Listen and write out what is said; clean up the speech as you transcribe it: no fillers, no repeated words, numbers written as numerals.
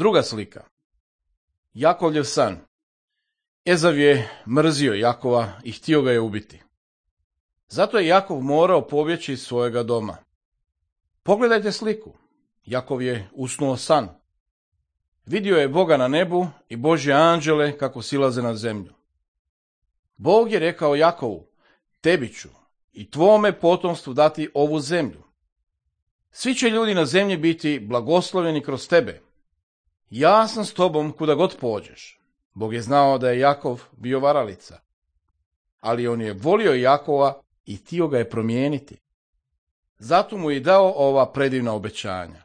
Druga slika. Jakovljev san. Ezav je mrzio Jakova i htio ga je ubiti. Zato je Jakov morao pobjeći iz svojega doma. Pogledajte sliku. Jakov je usnuo san. Vidio je Boga na nebu i Božje anđele kako silaze na zemlju. Bog je rekao Jakovu, tebi ću i tvome potomstvu dati ovu zemlju. Svi će ljudi na zemlji biti blagoslovljeni kroz tebe. Ja sam s tobom kuda god pođeš. Bog je znao da je Jakov bio varalica. Ali on je volio Jakova i htio ga je promijeniti. Zato mu je dao ova predivna obećanja.